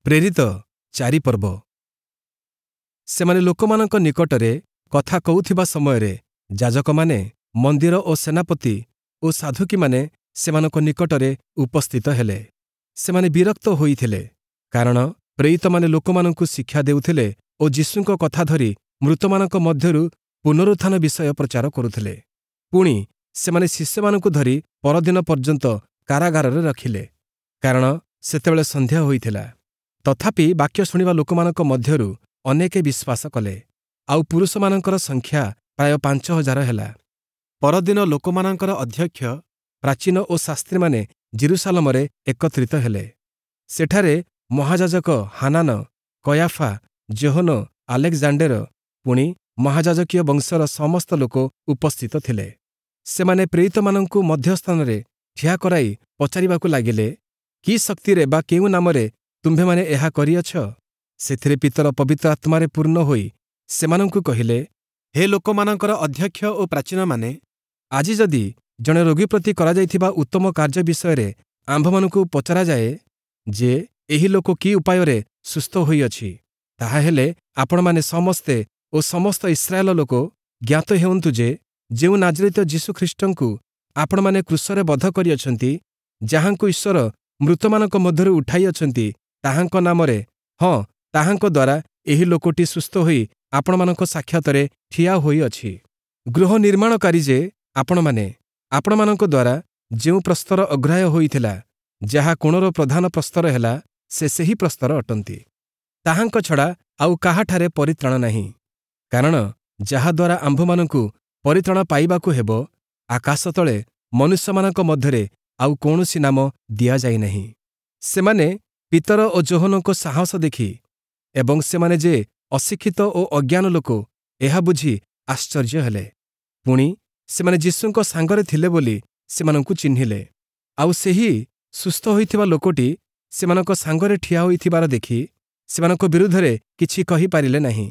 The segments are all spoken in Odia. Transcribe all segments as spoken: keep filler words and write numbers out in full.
ପ୍ରେରିତ ଚାରି ପର୍ବ ସେମାନେ ଲୋକମାନଙ୍କ ନିକଟରେ କଥା କହୁଥିବା ସମୟରେ ଯାଜକମାନେ ମନ୍ଦିର ଓ ସେନାପତି ଓ ସାଦ୍ଦୂକୀମାନେ ସେମାନଙ୍କ ନିକଟରେ ଉପସ୍ଥିତ ହେଲେ। ସେମାନେ ବିରକ୍ତ ହୋଇଥିଲେ, କାରଣ ପ୍ରେରିତମାନେ ଲୋକମାନଙ୍କୁ ଶିକ୍ଷା ଦେଉଥିଲେ ଓ ଯୀଶୁଙ୍କ କଥା ଧରି ମୃତମାନଙ୍କ ମଧ୍ୟରୁ ପୁନରୁତ୍ଥାନ ବିଷୟ ପ୍ରଚାର କରୁଥିଲେ। ପୁଣି ସେମାନେ ଶିଷ୍ୟମାନଙ୍କୁ ଧରି ପରଦିନ ପର୍ଯ୍ୟନ୍ତ କାରାଗାରରେ ରଖିଲେ, କାରଣ ସେତେବେଳେ ସନ୍ଧ୍ୟା ହୋଇଥିଲା। ତଥାପି ବାକ୍ୟ ଶୁଣିବା ଲୋକମାନଙ୍କ ମଧ୍ୟରୁ ଅନେକେ ବିଶ୍ୱାସ କଲେ, ଆଉ ପୁରୁଷମାନଙ୍କର ସଂଖ୍ୟା ପ୍ରାୟ ପାଞ୍ଚ ହଜାର ହେଲା। ପରଦିନ ଲୋକମାନଙ୍କର ଅଧ୍ୟକ୍ଷ, ପ୍ରାଚୀନ ଓ ଶାସ୍ତ୍ରୀମାନେ ଯିରୂଶାଲମରେ ଏକତ୍ରିତ ହେଲେ। ସେଠାରେ ମହାଯାଜକ ହାନାନ, କୟାଫା, ଯୋହନ, ଆଲେକ୍ଜାଣ୍ଡେର, ପୁଣି ମହାଯାଜକୀୟ ବଂଶର ସମସ୍ତ ଲୋକ ଉପସ୍ଥିତ ଥିଲେ। ସେମାନେ ପ୍ରେରିତମାନଙ୍କୁ ମଧ୍ୟସ୍ଥାନରେ ଠିଆ କରାଇ ପଚାରିବାକୁ ଲାଗିଲେ, କି ଶକ୍ତିରେ ବା କେଉଁ ନାମରେ ତୁମ୍ଭେମାନେ ଏହା କରିଅଛ? ସେଥିରେ ପିତର ପବିତ୍ର ଆତ୍ମାରେ ପୂର୍ଣ୍ଣ ହୋଇ ସେମାନଙ୍କୁ କହିଲେ, ହେ ଲୋକମାନଙ୍କର ଅଧ୍ୟକ୍ଷ ଓ ପ୍ରାଚୀନମାନେ, ଆଜି ଯଦି ଜଣେ ରୋଗୀ ପ୍ରତି କରାଯାଇଥିବା ଉତ୍ତମ କାର୍ଯ୍ୟ ବିଷୟରେ ଆମ୍ଭମାନଙ୍କୁ ପଚରାଯାଏ ଯେ ଏହି ଲୋକ କି ଉପାୟରେ ସୁସ୍ଥ ହୋଇଅଛି, ତାହାହେଲେ ଆପଣମାନେ ସମସ୍ତେ ଓ ସମସ୍ତ ଇସ୍ରାଏଲ ଲୋକ ଜ୍ଞାତ ହେଉନ୍ତୁ ଯେ ଯେଉଁ ନାଜରିତ ଯୀଶୁଖ୍ରୀଷ୍ଟଙ୍କୁ ଆପଣମାନେ କ୍ରୁଶରେ ବଧ କରିଅଛନ୍ତି, ଯାହାଙ୍କୁ ଈଶ୍ୱର ମୃତମାନଙ୍କ ମଧ୍ୟରୁ ଉଠାଇଅଛନ୍ତି, ତାହାଙ୍କ ନାମରେ, ହଁ, ତାହାଙ୍କ ଦ୍ୱାରା ଏହି ଲୋକଟି ସୁସ୍ଥ ହୋଇ ଆପଣମାନଙ୍କ ସାକ୍ଷାତରେ ଠିଆ ହୋଇଅଛି। ଗୃହ ନିର୍ମାଣକାରୀ ଯେ ଆପଣମାନେ, ଆପଣମାନଙ୍କ ଦ୍ୱାରା ଯେଉଁ ପ୍ରସ୍ତର ଅଗ୍ରାହ୍ୟ ହୋଇଥିଲା, ଯାହା କୋଣର ପ୍ରଧାନ ପ୍ରସ୍ତର ହେଲା, ସେ ସେହି ପ୍ରସ୍ତର ଅଟନ୍ତି। ତାହାଙ୍କ ଛଡ଼ା ଆଉ କାହାଠାରେ ପରିତ୍ରାଣ ନାହିଁ। କାରଣ ଯାହାଦ୍ୱାରା ଆମ୍ଭମାନଙ୍କୁ ପରିତ୍ରାଣ ପାଇବାକୁ ହେବ, ଆକାଶ ତଳେ ମନୁଷ୍ୟମାନଙ୍କ ମଧ୍ୟରେ ଆଉ କୌଣସି ନାମ ଦିଆଯାଇନାହିଁ। ସେମାନେ ପିତର ଓ ଯୋହନଙ୍କ ସାହସ ଦେଖି ଏବଂ ସେମାନେ ଯେ ଅଶିକ୍ଷିତ ଓ ଅଜ୍ଞାନ ଲୋକ, ଏହା ବୁଝି ଆଶ୍ଚର୍ଯ୍ୟ ହେଲେ। ପୁଣି ସେମାନେ ଯୀଶୁଙ୍କ ସାଙ୍ଗରେ ଥିଲେ ବୋଲି ସେମାନଙ୍କୁ ଚିହ୍ନିଲେ। ଆଉ ସେହି ସୁସ୍ଥ ହୋଇଥିବା ଲୋକଟି ସେମାନଙ୍କ ସାଙ୍ଗରେ ଠିଆ ହୋଇଥିବାର ଦେଖି ସେମାନଙ୍କ ବିରୁଦ୍ଧରେ କିଛି କହିପାରିଲେ ନାହିଁ।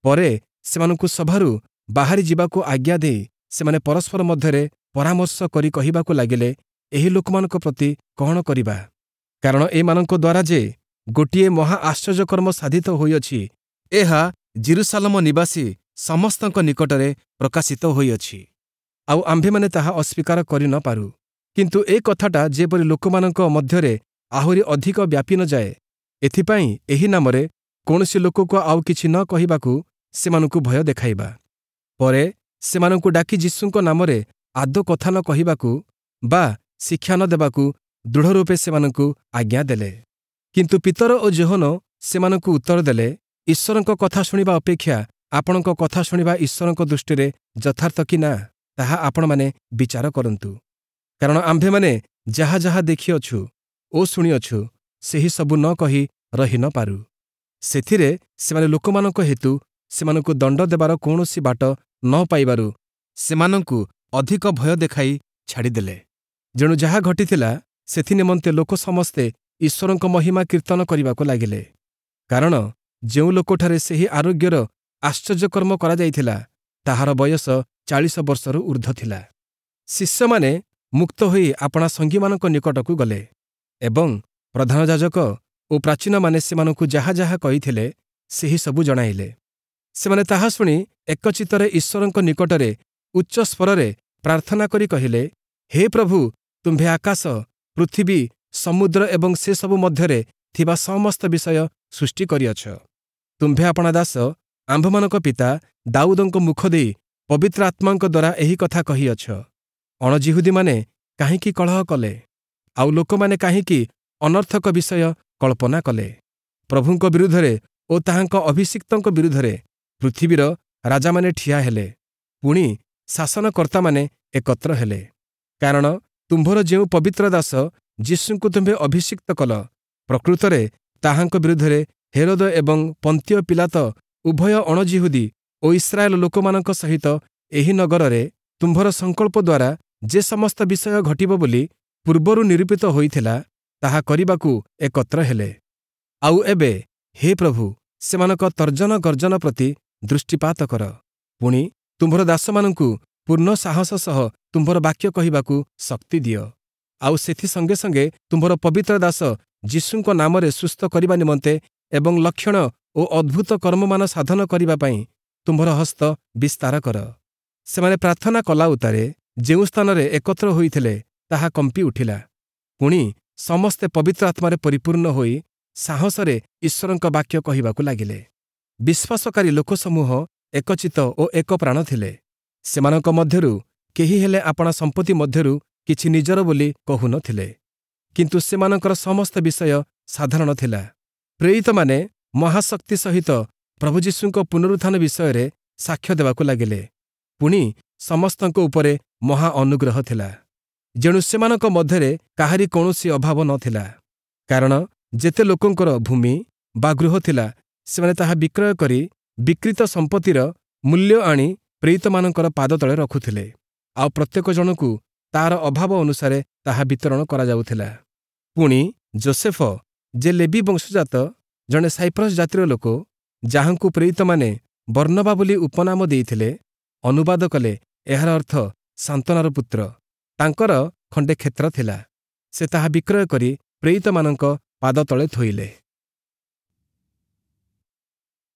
ପରେ ସେମାନଙ୍କୁ ସଭାରୁ ବାହାରି ଯିବାକୁ ଆଜ୍ଞା ଦେଇ ସେମାନେ ପରସ୍ପର ମଧ୍ୟରେ ପରାମର୍ଶ କରି କହିବାକୁ ଲାଗିଲେ, ଏହି ଲୋକମାନଙ୍କ ପ୍ରତି କଅଣ କରିବା? କାରଣ ଏମାନଙ୍କ ଦ୍ୱାରା ଯେ ଗୋଟିଏ ମହା ଆଶ୍ଚର୍ଯ୍ୟକର୍ମ ସାଧିତ ହୋଇଅଛି, ଏହା ଯିରୂଶାଲମ ନିବାସୀ ସମସ୍ତଙ୍କ ନିକଟରେ ପ୍ରକାଶିତ ହୋଇଅଛି। ଆଉ ଆମ୍ଭେମାନେ ତାହା ଅସ୍ୱୀକାର କରି ନ ପାରୁ। କିନ୍ତୁ ଏ କଥାଟା ଯେପରି ଲୋକମାନଙ୍କ ମଧ୍ୟରେ ଆହୁରି ଅଧିକ ବ୍ୟାପି ନ ଯାଏ, ଏଥିପାଇଁ ଏହି ନାମରେ କୌଣସି ଲୋକକୁ ଆଉ କିଛି ନ କହିବାକୁ ସେମାନଙ୍କୁ ଭୟ ଦେଖାଇବା। ପରେ ସେମାନଙ୍କୁ ଡାକି ଯୀଶୁଙ୍କ ନାମରେ ଆଦୌ କଥା ନ କହିବାକୁ ବା ଶିକ୍ଷା ନ ଦେବାକୁ ଦୃଢ଼ରୂପେ ସେମାନଙ୍କୁ ଆଜ୍ଞା ଦେଲେ। କିନ୍ତୁ ପିତର ଓ ଯୋହନ ସେମାନଙ୍କୁ ଉତ୍ତର ଦେଲେ, ଈଶ୍ୱରଙ୍କ କଥା ଶୁଣିବା ଅପେକ୍ଷା ଆପଣଙ୍କ କଥା ଶୁଣିବା ଈଶ୍ୱରଙ୍କ ଦୃଷ୍ଟିରେ ଯଥାର୍ଥ କି ନା, ତାହା ଆପଣମାନେ ବିଚାର କରନ୍ତୁ। କାରଣ ଆମ୍ଭେମାନେ ଯାହା ଯାହା ଦେଖିଅଛୁ ଓ ଶୁଣିଅଛୁ, ସେହି ସବୁ ନ କହି ରହି ନ ପାରୁ। ସେଥିରେ ସେମାନେ ଲୋକମାନଙ୍କ ହେତୁ ସେମାନଙ୍କୁ ଦଣ୍ଡ ଦେବାର କୌଣସି ବାଟ ନ ପାଇବାରୁ ସେମାନଙ୍କୁ ଅଧିକ ଭୟ ଦେଖାଇ ଛାଡ଼ିଦେଲେ। ଯେଣୁ ଯାହା ଘଟିଥିଲା, ସେଥି ନିମନ୍ତେ ଲୋକ ସମସ୍ତେ ଈଶ୍ୱରଙ୍କ ମହିମା କୀର୍ତ୍ତନ କରିବାକୁ ଲାଗିଲେ। କାରଣ ଯେଉଁ ଲୋକଠାରେ ସେହି ଆରୋଗ୍ୟର ଆଶ୍ଚର୍ଯ୍ୟକର୍ମ କରାଯାଇଥିଲା, ତାହାର ବୟସ ଚାଳିଶ ବର୍ଷରୁ ଊର୍ଦ୍ଧ୍ୱ ଥିଲା। ଶିଷ୍ୟମାନେ ମୁକ୍ତ ହୋଇ ଆପଣା ସଙ୍ଗୀମାନଙ୍କ ନିକଟକୁ ଗଲେ ଏବଂ ପ୍ରଧାନ ଯାଜକ ଓ ପ୍ରାଚୀନମାନେ ସେମାନଙ୍କୁ ଯାହା ଯାହା କହିଥିଲେ, ସେହି ସବୁ ଜଣାଇଲେ। ସେମାନେ ତାହା ଶୁଣି ଏକଚିତ୍ତରେ ଈଶ୍ୱରଙ୍କ ନିକଟରେ ଉଚ୍ଚ ସ୍ୱରରେ ପ୍ରାର୍ଥନା କରି କହିଲେ, ହେ ପ୍ରଭୁ, ତୁମ୍ଭେ ଆକାଶ, ପୃଥିବୀ, ସମୁଦ୍ର ଏବଂ ସେସବୁ ମଧ୍ୟରେ ଥିବା ସମସ୍ତ ବିଷୟ ସୃଷ୍ଟି କରିଅଛ। ତୁମ୍ଭେ ଆପଣା ଦାସ ଆମ୍ଭମାନଙ୍କ ପିତା ଦାଉଦଙ୍କ ମୁଖ ଦେଇ ପବିତ୍ର ଆତ୍ମାଙ୍କ ଦ୍ୱାରା ଏହି କଥା କହିଅଛ। ଅଣଯିହୁଦୀମାନେ କାହିଁକି କଳହ କଲେ? ଆଉ ଲୋକମାନେ କାହିଁକି ଅନର୍ଥକ ବିଷୟ କଳ୍ପନା କଲେ? ପ୍ରଭୁଙ୍କ ବିରୁଦ୍ଧରେ ଓ ତାହାଙ୍କ ଅଭିଷିକ୍ତଙ୍କ ବିରୁଦ୍ଧରେ ପୃଥିବୀର ରାଜାମାନେ ଠିଆ ହେଲେ, ପୁଣି ଶାସନକର୍ତ୍ତାମାନେ ଏକତ୍ର ହେଲେ। କାରଣ ତୁମ୍ଭର ଯେଉଁ ପବିତ୍ର ଦାସ ଯୀଶୁଙ୍କୁ ତୁମ୍ଭେ ଅଭିଷିକ୍ତ କଲ, ପ୍ରକୃତରେ ତାହାଙ୍କ ବିରୁଦ୍ଧରେ ହେରୋଦ ଏବଂ ପନ୍ତିୟ ପୀଲାତ ଉଭୟ ଅଣଯିହୁଦୀ ଓ ଇସ୍ରାଏଲ ଲୋକମାନଙ୍କ ସହିତ ଏହି ନଗରରେ ତୁମ୍ଭର ସଂକଳ୍ପ ଦ୍ୱାରା ଯେ ସମସ୍ତ ବିଷୟ ଘଟିବ ବୋଲି ପୂର୍ବରୁ ନିରୂପିତ ହୋଇଥିଲା, ତାହା କରିବାକୁ ଏକତ୍ର ହେଲେ। ଆଉ ଏବେ ହେ ପ୍ରଭୁ, ସେମାନଙ୍କ ତର୍ଜନ ଗର୍ଜନ ପ୍ରତି ଦୃଷ୍ଟିପାତ କର। ପୁଣି ତୁମ୍ଭର ଦାସମାନଙ୍କୁ ପୂର୍ଣ୍ଣ ସାହସ ସହ ତୁମ୍ଭର ବାକ୍ୟ କହିବାକୁ ଶକ୍ତି ଦିଅ। ଆଉ ସେଥି ସଙ୍ଗେ ସଙ୍ଗେ ତୁମ୍ଭର ପବିତ୍ର ଦାସ ଯୀଶୁଙ୍କ ନାମରେ ସୁସ୍ଥ କରିବା ନିମନ୍ତେ ଏବଂ ଲକ୍ଷଣ ଓ ଅଦ୍ଭୁତ କର୍ମମାନ ସାଧନ କରିବା ପାଇଁ ତୁମ୍ଭର ହସ୍ତ ବିସ୍ତାର କର। ସେମାନେ ପ୍ରାର୍ଥନା କଲା ଉତ୍ତାରେ ଯେଉଁ ସ୍ଥାନରେ ଏକତ୍ର ହୋଇଥିଲେ ତାହା କମ୍ପି ଉଠିଲା। ପୁଣି ସମସ୍ତେ ପବିତ୍ର ଆତ୍ମାରେ ପରିପୂର୍ଣ୍ଣ ହୋଇ ସାହସରେ ଈଶ୍ୱରଙ୍କ ବାକ୍ୟ କହିବାକୁ ଲାଗିଲେ। ବିଶ୍ୱାସକାରୀ ଲୋକସମୂହ ଏକଚିତ୍ତ ଓ ଏକ ପ୍ରାଣ ଥିଲେ। ସେମାନଙ୍କ ମଧ୍ୟରୁ କେହି ହେଲେ ଆପଣା ସମ୍ପତ୍ତି ମଧ୍ୟରୁ କିଛି ନିଜର ବୋଲି କହୁନଥିଲେ, କିନ୍ତୁ ସେମାନଙ୍କର ସମସ୍ତ ବିଷୟ ସାଧାରଣ ଥିଲା। ପ୍ରେରିତମାନେ ମହାଶକ୍ତି ସହିତ ପ୍ରଭୁ ଯୀଶୁଙ୍କ ପୁନରୁତ୍ଥାନ ବିଷୟରେ ସାକ୍ଷ୍ୟ ଦେବାକୁ ଲାଗିଲେ। ପୁଣି ସମସ୍ତଙ୍କ ଉପରେ ମହା ଅନୁଗ୍ରହ ଥିଲା। ଯେଣୁ ସେମାନଙ୍କ ମଧ୍ୟରେ କାହାରି କୌଣସି ଅଭାବ ନଥିଲା। କାରଣ ଯେତେ ଲୋକଙ୍କର ଭୂମି ବା ଗୃହ ଥିଲା, ସେମାନେ ତାହା ବିକ୍ରୟ କରି ବିକ୍ରିତ ସମ୍ପତ୍ତିର ମୂଲ୍ୟ ଆଣି ପ୍ରେରିତମାନଙ୍କର ପାଦତଳେ ରଖୁଥିଲେ, ଆଉ ପ୍ରତ୍ୟେକ ଜଣକୁ ତାର ଅଭାବ ଅନୁସାରେ ତାହା ବିତରଣ କରାଯାଉଥିଲା। ପୁଣି ଯୋସେଫ, ଯେ ଲେବି ବଂଶଜାତ, ଜଣେ ସାଇପ୍ରସ୍ ଜାତିର ଲୋକ, ଯାହାଙ୍କୁ ପ୍ରେରିତମାନେ ବର୍ଣ୍ଣବା ବୋଲି ଉପନାମ ଦେଇଥିଲେ, ଅନୁବାଦ କଲେ ଏହାର ଅର୍ଥ ସାନ୍ତ୍ୱନାର ପୁତ୍ର, ତାଙ୍କର ଖଣ୍ଡେ କ୍ଷେତ୍ର ଥିଲା। ସେ ତାହା ବିକ୍ରୟ କରି ପ୍ରେରିତମାନଙ୍କ ପାଦତଳେ ଥୋଇଲେ।